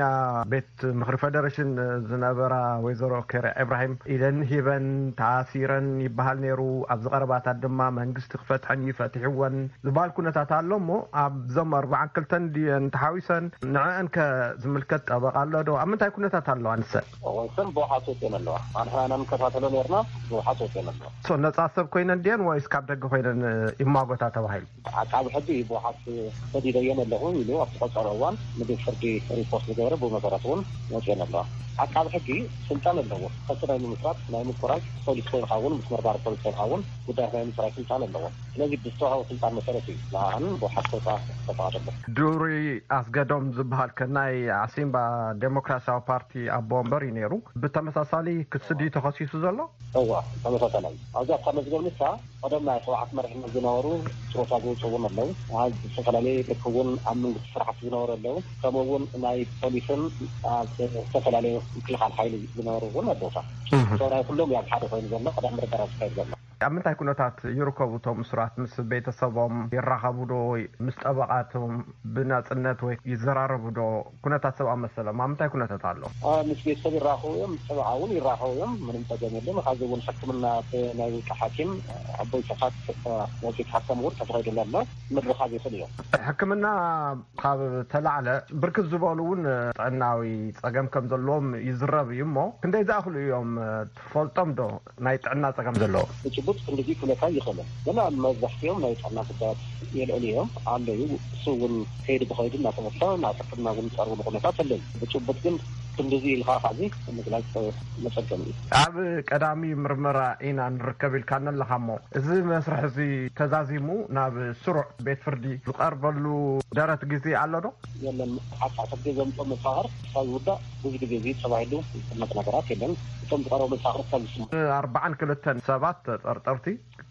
ቤት ምኽሪ ፈደረሽን ዝነበራ ወይዘሮ ኬርያ ኢብራሂም ኢደን ሂበን ተኣሲረን ይበሃል ነይሩ። ኣብዚ ቀረባታት ድማ መንግስቲ ክፈትሐን እዩ ፈቲሕወን ዝበሃል ኩነታት ኣሎ እሞ፣ ኣብዞም ኣርባዓን ክልተን ድየን ተሓዊሰን? ንዕአን ከ ዝምልከት ጠበቓ ኣሎ ዶ? ኣብ ምንታይ ኩነታት ኣለዋ ንሰን? እወ፣ እሰን ብውሓት ወፅየን ኣለዋ። ኣንሕና ኢና ንከታተሎ ነርና፣ ብውሓት ወፅየን ኣለዋ። ሶ ነፃ ሰብ ኮይነን ድየን ወይስ ካብ ደገ ኮይነን ይማጎታ ተባሂሉ? ዓቃቢ ሕጊ እዩ ብውሓት ሰዲደየን ኣለኹ ኢሉ ኣብቲ ቆፀሮ እዋን ንቤት ፍርዲ ሪፖርት ዝገበረ፣ ብመሰረት እውን ወፅየን ኣለዋ። ዓቃቢ ሕጊ ስልጣን ኣለዎ። ክሲ ናይ ምምስራት፣ ናይ ምቁራፅ፣ ፖሊስ ኮይንካ እውን ምስ መርማሪ ፖሊስ ኮይንካ እውን ጉዳያት ናይ ምፅራይ ስልጣን ኣለዎ። ስለዚ ብዝተዋሃቦ ስልጣን መሰረት እዩ ንዓን ብውሓት ክወፃ ዝተፈቐደለን። ዱሪ ኣስገዶም ዝበሃል ከ ናይ ዓሲምባ ዴሞክራሲያዊ ፓርቲ ኣቦ ወንበር እዩ ነይሩ። ብተመሳሳሊ ክሲ ድዩ ተኸሲሱ ዘሎ? እዋ፣ ተመሳሳላይ። ኣብዚ ኣብታ መዝገብ ንሳ ቀደም ናይ ህወሓት መሪሕነት ዝነበሩ ጥሮታ ዝወፁ እውን ኣለዉ። ኣብ ዝተፈላለየ ልክ እውን ኣብ መንግስቲ ስራሕቲ ዝነበሩ ኣለዉ። ከምኡ እውን ናይ ፖሊስን ኣብ ዝተፈላለየ ምክልኻል ሓይሊ ዝነበሩ እውን ኣለዉ። እህ። ሰው ናይ ኩሎም እዩ ኣብ ሓደ ኮይኑ ዘሎ፣ ቀዳም ምርመራ ዝካየድ ዘሎ። ኣብ ምንታይ ኩነታት ይርከቡ እቶም እሱራት? ምስ ቤተሰቦም ይራኸቡ ዶ? ምስ ጠበቓቶም ብናጽነት ወይ ይዘራረቡ ዶ? ኩነታት ሰብኣዊ መሰሎም ኣብ ምንታይ ኩነታት ኣሎ? አ፣ ምስ ቤተሰብ ይራኸቡ እዮም፣ ምስ ጠበቓ እውን ይራኸቡ እዮም። ምንም ጸገም የለን። ካብዚ እውን ሕክምና ብናይ ውልቂ ሓኪም ኣቦይ ስብሓት፣ አ፣ ወፂኡ ክሓከም እውን ተፈቒዱሉ ኣሎ። ምርኻብ ይኽእል እዮም። ሕክምና ካብ ተላዕለ ብርክት ዝበሉ እውን ጥዕናዊ ጸገም ከም ዘለዎም ይዝረብ እዩ እሞ፣ ክንደይ ዝኣኽሉ እዮም ትፈልጦም ዶ? ናይ ጥዕና ጸገም ዘለዎ? ብጭቡጥ ክንድዚ ክብለካ ይኽእልን፣ ግን ኣብ መብዛሕትኦም ናይ ጥዕና ጉዳያት የልዕሉ እዮም ኣለዩ። እሱ እውን ከይዲ ብኸይዲ እናተመልሰ ናብ ሕክምና እውን ዝቀርብሉ ኩነታት ኣለዩ። ብጭቡጥ ግን ክንድዚ ኢልካ ካብዚ ምግላጽ መጸገሚ እዩ። ኣብ ቀዳሚ ምርመራ ኢና ንርከብ ኢልካኒ ኣለኻ እሞ፣ እዚ መስርሕ እዚ ተዛዚሙ ናብ ስሩዕ ቤት ፍርዲ ዝቐርበሉ ደረት ግዜ ኣሎ ዶ? የለን። ሓታ ሕጊ ዘምጾ መፋኸር ክሳብ ዝውዳእ ብዙ ግዜ እዚ ተባሂሉ ዝጥመት ነገራት የለን። እቶም ዝቐረቡ መፋኸር ክሳብ ዝስሙ። ኣርባዓን ክልተን ሰባት ተጠርጠርቲ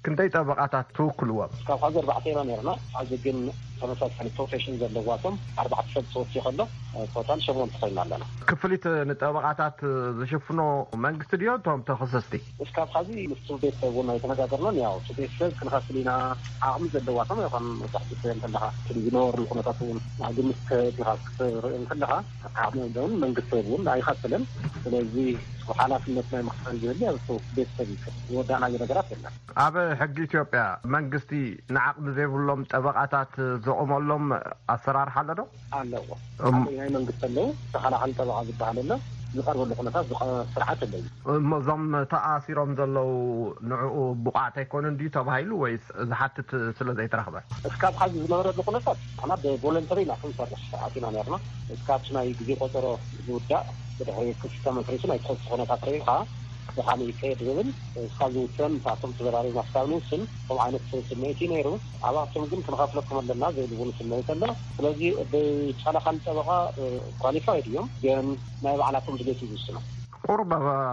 ክንደይ ጠበቓታት ትውክልዎም? እስካብ ሐዚ ኣርባዕተ ኢና ነርና። ሐዚ ግን ተመሳሳሊ ፕሮፌሽን ዘለዋቶም ኣርባዕተ ሰብ ተወሲኹ ኣሎ። ቶታል ሸሞንተ ኮይና ኣለና። ክፍሊት ንጠበቓታት ዝሽፍኖ መንግስቲ ድዮ እቶም ተኸሰስቲ? እስካብ ሐዚ ምስ ቤተሰብ እውን ኣይተነጋገርናን። ያው እቲ ቤተሰብ ክንኸፍል ኢና፣ ዓቕሚ ዘለዋቶም ይኾን መብዛሕትኡ ሰብ እንተለኻ፣ እቲ ዝነበሩ ኩነታት እውን ኣብ ግምት ከእቲኻ ክትርኢ እንከለኻ፣ ዓቕሚ ዘለውን መንግስቲ እውን ኣይኸፍልን። ስለዚ ሓላፍነት ናይ ምኽፋል ዝህሊ ኣብ ቤተሰብ እዩ። ዝወዳእናዮ ነገራት የለን። ኣብ ሕጊ ኢትዮጵያ መንግስቲ ንዓቕሚ ዘይብሎም ጠበቓታት ዘቑመሎም ኣሰራርሓ ኣሎ ዶ? ኣለዎ። እም- ሓደ ናይ መንግስቲ ኣለዉ፣ ተኸላኸሊ ጠበቓ ዝበሃል ኣሎ። ዝቐርበሉ ኩነታት ዝቐ-፣ ስርዓት ኣሎ እዩ። እሞ እዞም ተኣሲሮም ዘለዉ ንዕኡ ብቑዓት ኣይኮኑን ድዩ ተባሂሉ ወይስ ዝሓትት ስለ ዘይተረኽበ? እስካብ ሐዚ ዝነበረሉ ኩነታት ንሕና ብቮለንተሪ ኢና ክንሰርሕ ኣቲና ነርና። እስካብ ናይ ግዜ ቆጸሮ ዝውዳእ ብድሕሪ ክሲ ተመስሪቱ ናይ ተኸሲ ኩነታት ረኺብካ ብኻሊእ ይካየድ ዝብል እስካ ዝውሰን ንሳቶም ተዘራሪብና ክሳብ ንውስን ከምኡ ዓይነት ስምዒት እዩ ነይሩ። ኣብኣቶም ግን ክንኸፍለኩም ኣለና ዘይብሉ ስምዒት ኣሎ። ስለዚ ብቻላ ካልእ ጠበቓ ኳሊፋይድ እዮም፣ ግን ናይ ባዕላቶም ድሌት እዩ ዝውስኖ። ቁሩብ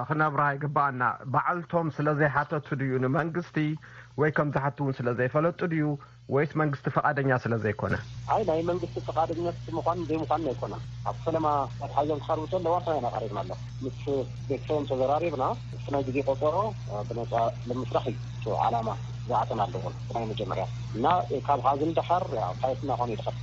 ክነብርሃ ይግባኣና። ባዕልቶም ስለ ዘይሓተቱ ድዩ ንመንግስቲ ወይ ከም ዝሓቱ እውን ስለ ዘይፈለጡ ድዩ ወይስ መንግስቲ ፈቓደኛ ስለ ዘይኮነ? ኣይ ናይ መንግስቲ ፈቓደኛ ምዃን ዘይምዃን ኣይኮነን። ኣብ ፈለማ ኣትሓዞም ክቐርቡ ከለዋ ሰማይና ቀሪብና ኣሎ። ምስ ቤተሰቦም ተዘራሪብና እቲ ናይ ግዜ ቆጸሮ ብነጻ ንምስራሕ እዩ እቲ ዓላማ ዝኣተና ኣለዎ። ናይ መጀመርያ እና ካብ ሀዝን ደሓር ፋይት እናኾነ ይልኸት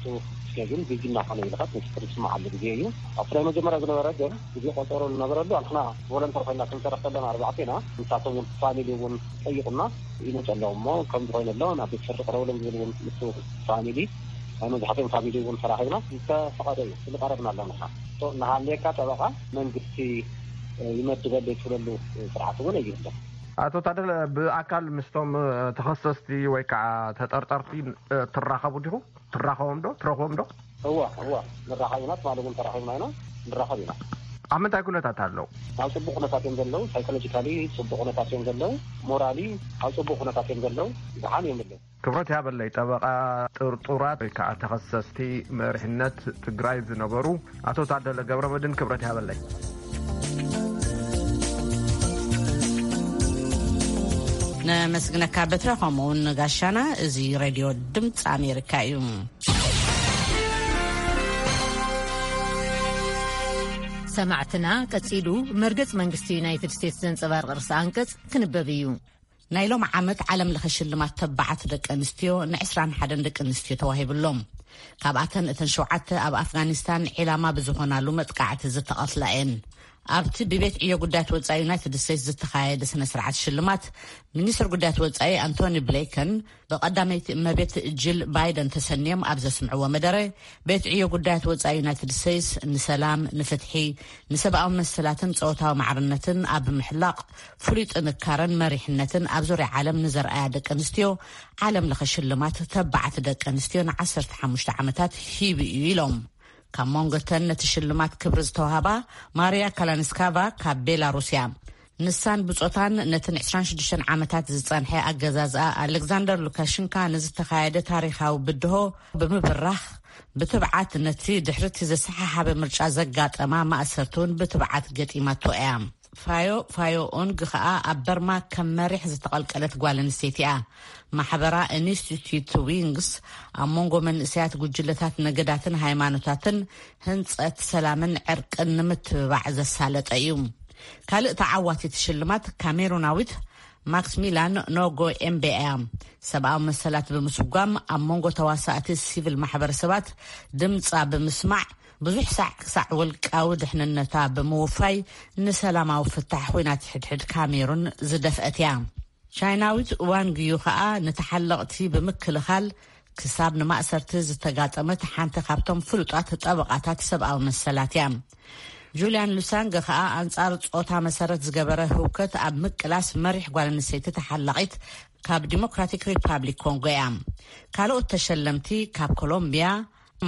ስኬጁል ቢዚ እናኾነ ይልኸት ንስክሪፕት መዓሉ ግዜ እዩ። ኣብቲ ናይ መጀመርያ ዝነበረ ግን ግዜ ቆጸሮ ዝነበረሉ ኣንሕና ቮለንተር ኮይና ክንሰርሕ ከለና ኣርባዕቴና ንሳቶም እውን ፋሚሊ እውን ጠይቁና ይመፁ ኣለዉ እሞ ከምዚ ኮይነ ኣሎ ናብ ቤት ፍርዲ ቅረብሎም ዝብል እውን ምስ ፋሚሊ ናይ መብዛሕትኦም ፋሚሊ እውን ተራኺብና ዝተፈቐደ እዩ ዝቀረብና ኣለና። እናሃለየካ ጠበቃ መንግስቲ ይመድበለይ ትብለሉ ስርዓት እውን ኣይህለን። ኣቶ ታደለ ብኣካል ምስቶም ተኸሰስቲ ወይ ከዓ ተጠርጠርቲ ትራኸቡ ዲኹም? ትራኸቦም ዶ ትረኽቦም ዶ? እዋ እዋ ንራኸብ ኢና ትማሊ እውን ተራኺብና ኢና። ንራኸብ ኢና። ኣብ ምንታይ ኩነታት ኣለዉ? ኣብ ፅቡቅ ኩነታት እዮም ዘለዉ። ሳይኮሎጂካሊ ፅቡቅ ኩነታት እዮም ዘለዉ። ሞራሊ ኣብ ፅቡቅ ኩነታት እዮም ዘለዉ። ደሓን እዮም ዘለዉ። ክብረት ያበለይ ጠበቃ ጥርጡራት ወይ ከዓ ተኸሰስቲ መሪሕነት ትግራይ ዝነበሩ ኣቶ ታደለ ገብረመድን ክብረት ያበለይ። ነመስግነካ በትረ ከምኡውን ጋሻና። እዚ ሬድዮ ድምፂ ኣሜሪካ እዩ። ሰማዕትና ቀጺሉ መርገጽ መንግስቲ ዩናይትድ ስቴትስ ዘንጸባርቕ ርእሰ ኣንቀጽ ክንበብ እዩ። ናይ ሎም ዓመት ዓለም ለኸ ሽልማት ተባዓት ደቂ ኣንስትዮ ን ዕስራን ሓደን ደቂ ኣንስትዮ ተዋሂብሎም። ካብኣተን እተን ሸውዓተ ኣብ ኣፍጋኒስታን ዒላማ ብዝኾናሉ መጥቃዕቲ ዝተቐትላ እየን። ኣብቲ ብቤት ዕዮ ጉዳያት ወጻኢ ዩናይትድ ስቴትስ ዝተኻየደ ስነ ስርዓት ሽልማት ሚኒስትር ጉዳያት ወጻኢ ኣንቶኒ ብሌከን ብቐዳመይቲ እመቤት ጂል ባይደን ተሰንዮም ኣብ ዘስምዕዎ መደረ ቤት ዕዮ ጉዳያት ወጻኢ ዩናይትድ ስቴትስ ንሰላም፣ ንፍትሒ፣ ንሰብኣዊ መሰላትን ጾታዊ ማዕርነትን ኣብ ምሕላቕ ፍሉይ ጥንካረን መሪሕነትን ኣብ ዙርያ ዓለም ንዘርኣያ ደቂ ኣንስትዮ ዓለም ለኸ ሽልማት ተባዓት ደቂ ኣንስትዮ ንዓሰርተ ሓሙሽተ ዓመታት ሂቡ እዩ ኢሎም። ካብ መንጎ እተን ነቲ ሽልማት ክብሪ ዝተዋህባ ማርያ ካላንስካቫ ካብ ቤላሩስ እያ። ንሳን ብጾታን ነተን ዕስራን ሽዱሽተን ዓመታት ዝጸንሐ ኣገዛዝኣ ኣሌክዛንደር ሉካሽንካ ንዝተኻየደ ታሪኻዊ ብድሆ ብምብራኽ ብትብዓት ነቲ ድሕርቲ ዘሰሓሓበ ምርጫ ዘጋጠማ ማእሰርቲ እውን ብትብዓት ገጢማቶ እያ። ፋዮ ፋዮ ኦንግ ከኣ ኣብ በርማ ከም መሪሕ ዝተቐልቀለት ጓል ኣንስተይቲ እያ። ማሕበራ ኢንስቲትዩት ዊንግስ ኣብ መንጎ መንእሰያት ጉጅለታት ነገዳትን ሃይማኖታትን ህንጸት ሰላምን ዕርቅን ንምትብባዕ ዘሳለጠ እዩ። ካልእ ተዓዋቲት ሽልማት ካሜሩናዊት ማክስሚላን ኖጎ ኤምቤ እያ። ሰብኣዊ መሰላት ብምስጓም ኣብ መንጎ ተዋሳእቲ ሲቪል ማሕበረሰባት ድምጻ ብምስማዕ ብዙሕ ሳዕ ክሳዕ ውልቃዊ ድሕንነታ ብምውፋይ ንሰላማዊ ፍታሕ ኹናት ሕድሕድ ካሜሩን ዝደፍአት እያ። ቻይናዊት ዋንግ ዩ ኸኣ ንተሓለቕቲ ብምክልኻል ክሳብ ንማእሰርቲ ዝተጋጠመት ሓንቲ ካብቶም ፍሉጣት ጠበቓታት ሰብኣዊ መሰላት እያ። ጁልያን ሉሳንገ ኸኣ ኣንጻር ጾታ መሰረት ዝገበረ ህውከት ኣብ ምቅላስ መሪሕ ጓል ኣንስተይቲ ተሓላቒት ካብ ዲሞክራቲክ ሪፓብሊክ ኮንጎ እያ። ካልኦት ተሸለምቲ ካብ ኮሎምቢያ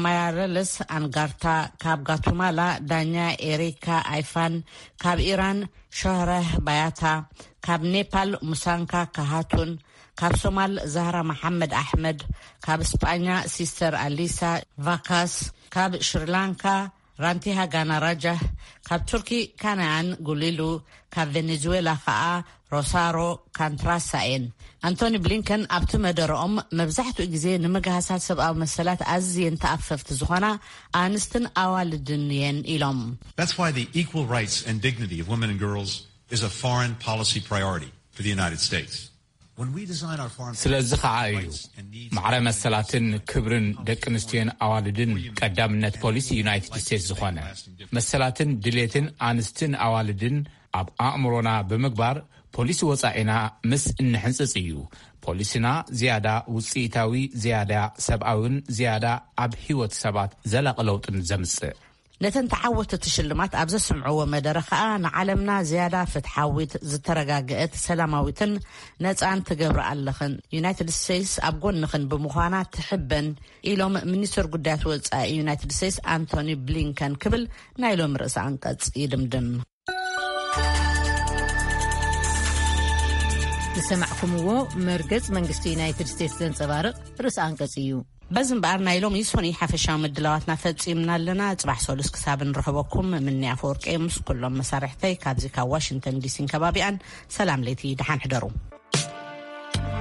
ማያረለስ ኣንጋርታ፣ ካብ ጋቱማላ ዳኛ ኤሪካ ኣይፋን፣ ካብ ኢራን ሾህረህ ባያታ፣ ካብ ኔፓል ሙሳንካ ካሃቱን፣ ካብ ሶማል ዛህራ መሓመድ ኣሕመድ፣ ካብ ስጳኛ ሲስተር ኣሊሳ ቫካስ፣ ካብ ሽሪላንካ ራንቲሃ ጋና ራጃህ፣ ካብ ቱርኪ ካናያን ጉሊሉ፣ ካብ ቬኔዙዌላ ከኣ ሮሳሮ ካንትራሳ እየን። ኣንቶኒ ብሊንከን ኣብቲ መደረኦም መብዛሕትኡ ግዜ ንምግሃሳት ሰብኣዊ መሰላት ኣዝየን ተኣፈፍቲ ዝኾና ኣንስትን ኣዋልድን እየን ኢሎም። That's why the equal rights and dignity of women and girls is a foreign policy priority for the United States. When we design our foreign ስለዚ ከዓ እዩ ማዕረ መሰላትን ክብርን ደቂ ኣንስትዮን ኣዋልድን ቀዳምነት ፖሊሲ ዩናይትድ ስቴትስ ዝኾነ። መሰላትን ድሌትን ኣንስትን ኣዋልድን ኣብ ኣእምሮና ብምግባር ፖሊሲ ወጻኢና ምስ እንሕንጽጽ እዩ ፖሊሲና ዝያዳ ውጽኢታዊ፣ ዝያዳ ሰብኣውን ዝያዳ ኣብ ህይወት ሰባት ዘላቒ ለውጥን ዘምጽእ። ነተን ተዓወትቲ ሽልማት ኣብ ዘስምዕዎ መደረ ከኣ፣ ንዓለምና ዝያዳ ፍትሓዊት፣ ዝተረጋገአት፣ ሰላማዊትን ነጻን ትገብራ ኣለኽን። ዩናይትድ ስቴትስ ኣብ ጎንኽን ብምዃና ትሕበን፣ ኢሎም ሚኒስትር ጉዳያት ወጻኢ ዩናይትድ ስቴትስ ኣንቶኒ ብሊንከን ክብል ናይ ሎም ርእሰ ኣንቀጽ ይድምድም። ዝሰማዕኩምዎ መርገጽ መንግስቲ ዩናይትድ ስቴትስ ዘንጸባርቕ ርእሰ ኣንቀጽ እዩ። በዚ እምበኣር ናይ ሎሚ ሶኒ ሓፈሻዊ ምድላዋትና ፈጺምና ኣለና። ጽባሕ ሰሉስ ክሳብ ንረኸበኩም ምኒ ኣፈወርቂ ምስ ኩሎም መሳርሕተይ ካብዚ ካብ ዋሽንግተን ዲሲን ከባቢኣን ሰላም ለይቲ ደሓን ሕደሩ።